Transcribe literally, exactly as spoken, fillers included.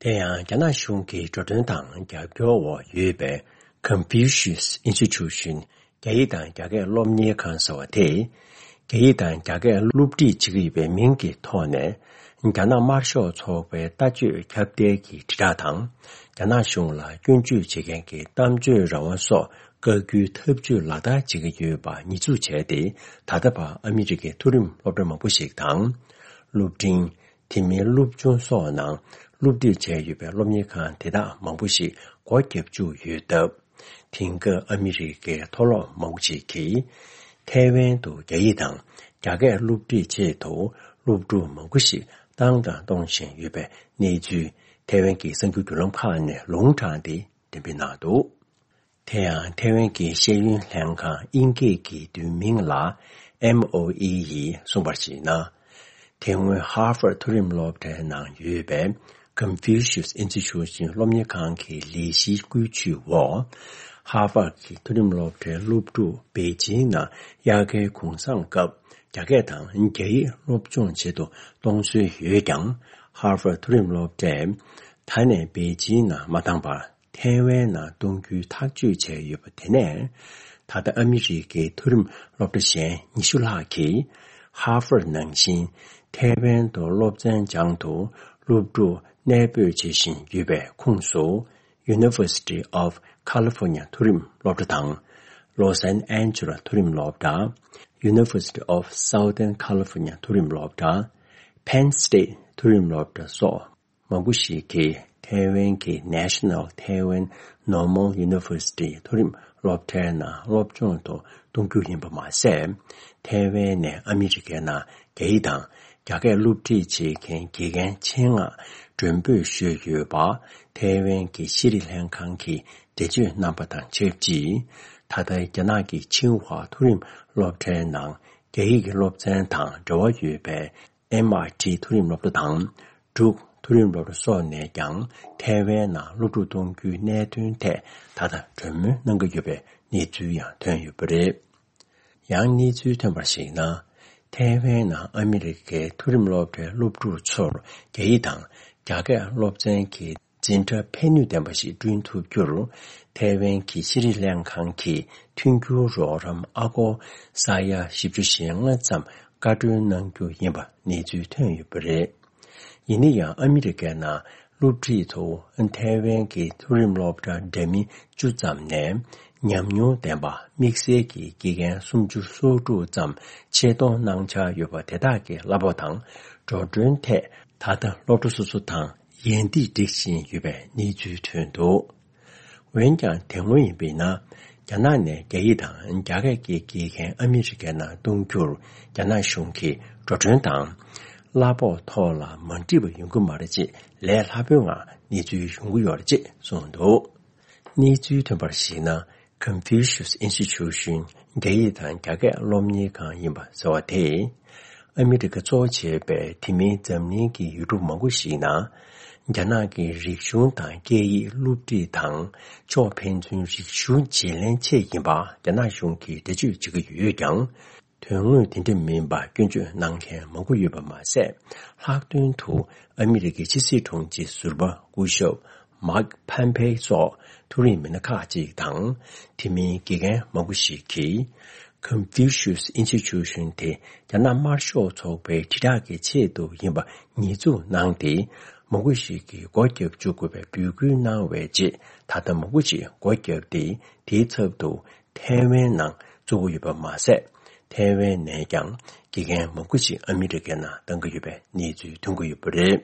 དེ་ཡང་རྒྱ་ནག་གཞུང་གི་འགྲོ་གྲོན་དང་རྒྱབ་སྐྱོར་འོག་ཡོད་པའི་Confucius Institution། རྒྱ་ཡིག་དང་རྒྱ་སྐད་སློབ་གཉེར་ཁང་ཟེར་བ་དེས། རྒྱ་ཡིག་དང་རྒྱ་སྐད་སློབ་ཁྲིད་བྱེད་ཀྱི་ཡོད་པའི་མིང་གི་ཐོག་ནས། རྒྱ་ནག་དམར་ཤོག་ཚོགས་པའི་ལྟ་སྤྱོད་ཁྱབ་གདལ་གྱི་དྲིལ་བསྒྲགས་དང་། རྒྱ་ནག་གཞུང་ལ་སྐྱོན་བརྗོད་བྱེད་མཁན་གྱི་གཏམ་བརྗོད་རང་དབང་སོགས་བཀག་རྒྱུའི་ཐབས་ཇུས་ལག་བསྟར་བྱེད་ཀྱི་ཡོད་པ་ཉེས་འཛུགས་བྱས་ཏེ། ད་ལྟ་བར་ཨ་མི་རི་ཀའི་མཐོ་རིམ་སློབ་གྲྭ་མང་པོ་ཞིག་དང་། སློབ་འབྲིང་། དེ་མིན་སློབ་ཆུང་སོགས་ནང་སློབ་ཁྲིད་བྱས་ཡོད་པའི་སློབ་གཉེར་ཁང་དེ་དག་མང་པོ་ཞིག་སྒོ་བརྒྱབ་བཅུག་ཡོད་སྟབས། དེང་སྐབས་ཨ་མི་རི་ཀའི་མཐོ་སློབ་མང་པོ་ཞིག་གིས། ཐའེ་ཝན་དུ་རྒྱ་ཡིག་དང་རྒྱ་སྐད་སློབ་ཁྲིད་ཆེད་དུ་སློབ་ཕྲུག་མང་པོ་ཞིག་བཏང་དང་གཏོང་བཞིན་ཡོད་པའི་གནས་ཚུལ། ཐའེ་ཝན་གྱི་གསར་འགྱུར་བརྒྱུད་ལམ་ཁག་ནས་ལུང་དྲངས་ཏེ་འགྲེམས་སྤེལ་གནང་འདུག་དེ་ཡང་ཐའེ་ཝན་གྱི་ཤེས་ཡོན་ལྷན་ཁང་དབྱིན་སྐད་ཀྱི་བསྡུས་མིང་ལ་ཨེམ་ཨོ་ཨི་ཡིས་གསུངས་པར་གཞིགས་ན། དེ་སྔོན་ཧར་ཧྥར་མཐོ་རིམ་སློབ་གྲྭའི་ནང་ཡོད་པའི་Confucius Institution སློབ་གཉེར་ཁང་གི་ལས་གཞིའི་བཀོད་ཇུས་འོག་ཧར་ཧྥར་གྱི་མཐོ་རིམ་སློབ་གྲྭའི་སློབ་ཕྲུག་པེ་ཅིང་ནང་དབྱར་ཁའི་གུང་སེང་སྐབས་རྒྱ་སྐད་དང་རྒྱ་ཡིག་སློབ་སྦྱོང་བྱེད་དུ་གཏོང་སྲོལ་ཡོད་ཀྱང་། ཧར་ཧྥར་མཐོ་རིམ་སློབ་གྲྭས་ད་ནས་པེ་ཅིང་ནང་མ་བཏང་བར། ཐའེ་ཝན་ནང་གཏོང་རྒྱུའི་ཐག་གཅོད་བྱས་ཡོད་པ་དེ་ནས། ད་ལྟ་ཨ་མི་རི་ཀའི་མཐོ་རིམ་སློབ་གྲྭ་གཞན་ཉི་ཤུ་ལྷག་གིས་ཧར་ཧྥར་ནང་བཞིན་ཐའེ་ཝན་དུ་སློབ་ཚན་སྦྱང་དུ་སློབ་ཕྲུག་གནས་སྤོས་བྱེད་བཞིན་ཡོད་པའི་ཁོངས་སུ། University of California མཐོ་རིམ་སློབ་གྲྭ་དང་། Los Angeles མཐོ་རིམ་སློབ་གྲྭ། University of Southern California མཐོ་རིམ་སློབ་གྲྭ། Penn State མཐོ་རིམ་སློབ་གྲྭ་སོགས། མང་པོ་ཞིག་གིས་ཐའེ་ཝན་གྱི་National Taiwan Normal University མཐོ་རིམ་སློབ་གྲྭའི་ནང་སློབ་སྦྱོང་དུ་གཏོང་རྒྱུ་ཡིན་པ་མ་ཟད། ཐའེ་ཝན་ནས་ཨ་མི་རི་ཀའི་ནང་རྒྱ་ཡིག་དང་རྒྱ་སྐད་སློབ་ཁྲིད་བྱེད་མཁན་དགེ་རྒན་ཆེད་མངགས་མགྲོན་འབོད་ཞུས་ཡོད་པ། ཐའེ་ཝན་གྱི་ཤེས་རིག་ལྷན་ཁང་གིས་འགྲེལ་བརྗོད་གནང་པ་དང་ཆབས་ཅིག་ད་ལྟ་རྒྱ་ནག་གི་ཆིང་ཧྭ་མཐོ་རིམ་སློབ་གྲྭའི་ནང་རྒྱ་ཡིག་གི་སློབ་ཚན་དང་འབྲེལ་བ་ཡོད་པའི། ཨེམ་ཨའི་ཊི་མཐོ་རིམ་སློབ་གྲྭ་དང་། ཌུག་མཐོ་རིམ་སློབ་གྲྭ་སོགས་ནས་ཀྱང་ཐའེ་ཝན་ནང་སློབ་ཕྲུག་གཏོང་རྒྱུའི་གནད་དོན་ཐད་ད་ལྟ་གྲོས་མོལ་གནང་གི་ཡོད་པའི་གནས་ཚུལ་ཡང་ཐོན་ཡོད་པ་རེད། ཡང་གནས་ཚུལ་ཐོན་པར་གཞིགས་ན། ཐའེ་ཝན་ནང་ཨ་མི་རི་ཀའི་མཐོ་རིམ་སློབ་གྲྭའི་སློབ་ཕྲུག་ཚོར་རྒྱ་ཡིག་དང་རྒྱ་སྐད་སློབ་ཚན་གྱི་འཛིན་གྲྭ་ཕན་ནུས་ལྡན་པ་ཞིག་བསྐྲུན་ཐུབ་རྒྱུར། ཐའེ་ཝན་གྱི་ཤེས་རིག་ལྷན་ཁང་གིས་མཐུན་འགྱུར་རོགས་རམ་ཨ་སྒོར་ས་ཡ་བཞི་བཅུ་ཞེ་ལྔ་ཙམ་བཀའ་འཁྲོལ་གནང་རྒྱུ་ཡིན་པ་གནས་ཚུལ་ཐོན་ཡོད་པ་རེད། ཡིན་ན་ཡང་ཨ་མི་རི་ཀའི་ནང་སློབ་ཁྲིད་དུ་ཐའེ་ཝན་གྱི་མཐོ་རིམ་སློབ་གྲྭ་འདྲ་མིན་བཅུ་ཙམ་ནས་ཉམས་མྱོང་ལྡན་པ་དམིགས་བསལ་གྱི་དགེ་རྒན་སུམ་ཅུ་སོ་དྲུག་ཙམ་ཆེད་གཏོང་གནང་འཆར་ཡོད་པ་དེ་དག་གི་གླ་ཕོགས་དང་འགྲོ་གྲོན་ཐད་ད་ལྟ་སློབ་གྲྭ་སོ་སོ་དང་། ཡན་ཏིག་སྒྲིག་བཞིན་ཡོད་པའི་གནས་ཚུལ་ཐོན་འདུག་འོན་ཀྱང་དེ་སྔོན་ཡིན་པས་ན། རྒྱ་ནག་ནས་རྒྱ་ཡིག་དང་རྒྱ་སྐད་ཀྱི་དགེ་རྒན་ཨ་མི་རི་ཀའི་ནང་གཏོང་རྒྱུར་རྒྱ་ནག་གཞུང་གིས་འགྲོ་གྲོན་དང་། གླ་ཕོགས་ཐོག་ལ་མ་འགྲིག་པ་ཡོང་གི་མ་རེད་ཅེས་ལས་སླ་པོའི་ངང་གནས་ཚུལ་ཡོང་གི་ཡོད་རེད་ཅེས་གསུངས་འདུག་གནས་ཚུལ་ཐོན་པར་གཞིགས་ན། Confucius Institution རྒྱ་ཡིག་དང་རྒྱ་སྐད་སློབ་གཉེར་ཁང་ཡིན་པ་ཟེར་བ་དེས། ཨ་མི་རི་ཀ་གཙོ་བོ་བྱས་པའི་དེ་མིན་འཛམ་གླིང་གི་ཡུལ་གྲུ་མང་པོ་ཞིག་ནང་། རྒྱ་ནག་གི་རིག་གཞུང་དང་སྐད་ཡིག་སློབ་ཁྲིད་དང་། ཕྱོགས་ཕན་ཚུན་རིག་གཞུང་བརྗེ་ལེན་ཆེད་ཡིན་པ་རྒྱ་ནག་གཞུང་གིས་འགྲེལ་བརྗོད་བྱེད་ཀྱི་ཡོད་ཀྱང་། དོན་དངོས་དེ་འདྲ་མིན་པ་སྐྱོན་བརྗོད་གནང་མཁན་མང་པོ་ཡོད་པ་མ་ཟད། ལྷག་དོན་དུ་ཨ་མི་རི་ཀའི་ཕྱི་སྲིད་དྲུང་ཆེ་ཟུར་པ་སྐུ་ཞབས་མཱིག་ཕམ་ཕེ་སོགས་མཐོ་རིམ་མི་སྣ་ཁག་ཅིག་དང་། དེ་མིན་དགེ་རྒན་མང་པོ་ཞིག་གིས། Confucius Institution དེ་རྒྱ་ནག་དམར་ཤོག་ཚོགས་པའི་དྲིལ་བསྒྲགས་ཀྱི་ཆེད་དུ་ཡིན་པ་ཉེས་འཛུགས་གནང་སྟེ། མང་པོ་ཞིག་གིས་སྒོ་བརྒྱབ་བཅུག་དགོས་པའི་འབོད་སྐུལ་གནང་བའི་རྗེས། ད་ལྟ་མང་པོ་ཞིག་སྒོ་བརྒྱབ་སྟེ། དེའི་ཚབ་ཏུ་ཐའེ་ཝན་ནང་བཙུགས་ཡོད་པ་མ་ཟད། ཐའེ་ཝན་ནས་ཀྱང་དགེ་རྒན་མང་པོ་ཞིག་ཨ་མི་རི་ཀའི་ནང་བཏང་གི་ཡོད་པའི་གནས་ཚུལ་ཐོན་གྱི་ཡོད་པ་རེད།